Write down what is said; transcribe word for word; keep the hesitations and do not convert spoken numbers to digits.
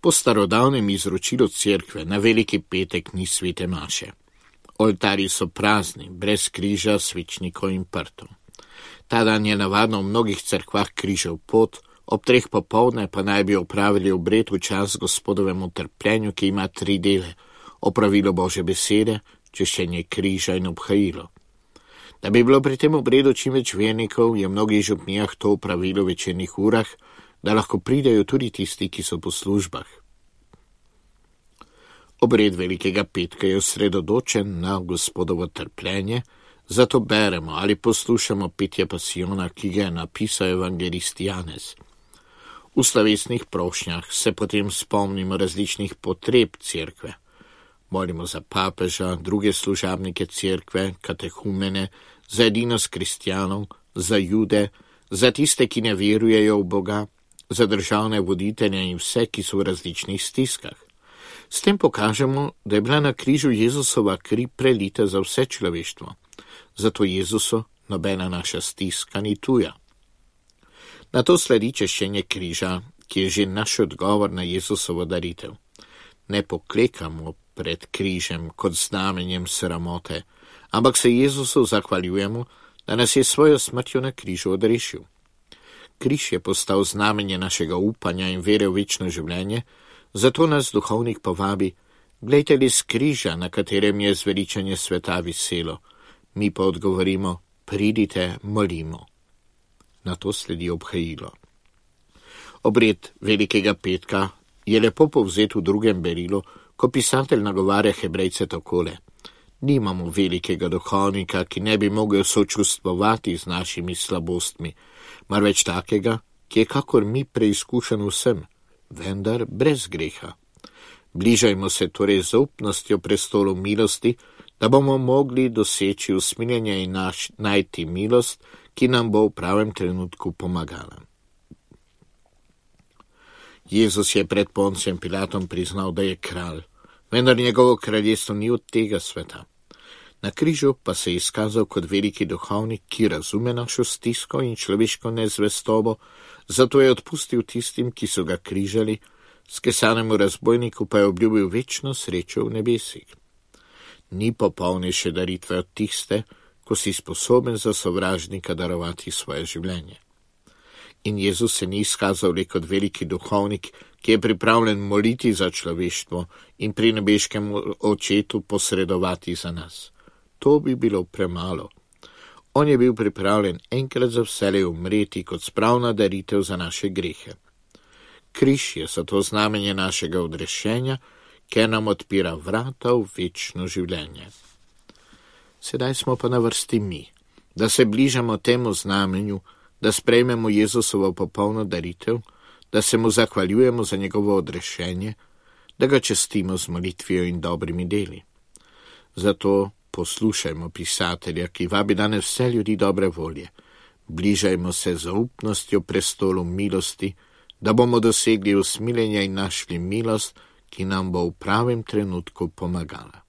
Po starodavnem izročilu cerkve na veliki petek ni svete maše. Oltarji so prazni, brez križa, svečnikov in prtov. Ta dan je navadno v mnogih cerkvah križev pot, ob treh popoldne pa naj bi opravili obred v čas Gospodovemu trpljenju, ki ima tri dele: opravilo Božje besede, češčenje križa in obhajilo. Da bi bilo pri tem obredu čim več vernikov, je v mnogih župnijah to opravilo v večernih urah, da lahko pridejo tudi tisti, ki so po službah. Obred velikega petka je osredotočen na Gospodovo trpljenje, zato beremo ali poslušamo petje pasijona, ki ga je napisal evangelist Janez. V slovesnih prošnjah se potem spomnimo različnih potreb cerkve. Molimo za papeža, druge služabnike cerkve, katehumene, za edinost kristjanov, za jude, za tiste, ki ne verujejo v Boga, za državne voditelje in vse, ki so v različnih stiskah. S tem pokažemo, da je bila na križu Jezusova kri prelita za vse človeštvo. Zato Jezusu nobena naša stiska ni tuja. Na to sledi češčenje križa, ki je že naš odgovor na Jezusovo daritev. Ne poklekamo pred križem kot znamenjem sramote, ampak se Jezusu zahvaljujemo, da nas je svojo smrtjo na križu odrešil. Križ je postal znamenje našega upanja in vere v večno življenje, zato nas duhovnik povabi: glejte li z križa, na katerem je zveličanje sveta viselo. Mi pa odgovorimo: pridite, molimo. Na to sledi obhajilo. Obred velikega petka je lepo povzet v drugem berilu, ko pisatelj nagovarja Hebrejce takole: nimamo velikega duhovnika, ki ne bi mogel sočustvovati z našimi slabostmi, marveč takega, ki je kakor mi preizkušen vsem, vendar brez greha. Bližajmo se torej z zaupnostjo prestolu milosti, da bomo mogli doseči usmiljenje in naš, najti milost, ki nam bo v pravem trenutku pomagala. Jezus je pred Poncijem Pilatom priznal, da je kralj, vendar njegovo kraljestvo ni od tega sveta. Na križu pa se je izkazal kot veliki duhovnik, ki razume našo stisko in človeško nezvestobo, zato je odpustil tistim, ki so ga križali, skesanemu razbojniku pa je obljubil večno srečo v nebesih. Ni popolnejše daritve od tiste, ko si sposoben za sovražnika darovati svoje življenje. In Jezus se ni izkazal le kot veliki duhovnik, ki je pripravljen moliti za človeštvo in pri nebeškem očetu posredovati za nas. To bi bilo premalo. On je bil pripravljen enkrat za vselej umreti kot spravna daritev za naše grehe. Križ je zato znamenje našega odrešenja, ker nam odpira vrata v večno življenje. Sedaj smo pa na vrsti mi, da se bližamo temu znamenju, da sprejmemo Jezusovo popolno daritev, da se mu zahvaljujemo za njegovo odrešenje, da ga častimo z molitvijo in dobrimi deli. Zato poslušajmo pisatelja, ki vabi danes vse ljudi dobre volje. Bližajmo se zaupnostjo prestolu milosti, da bomo dosegli usmiljenje in našli milost, ki nam bo v pravem trenutku pomagala.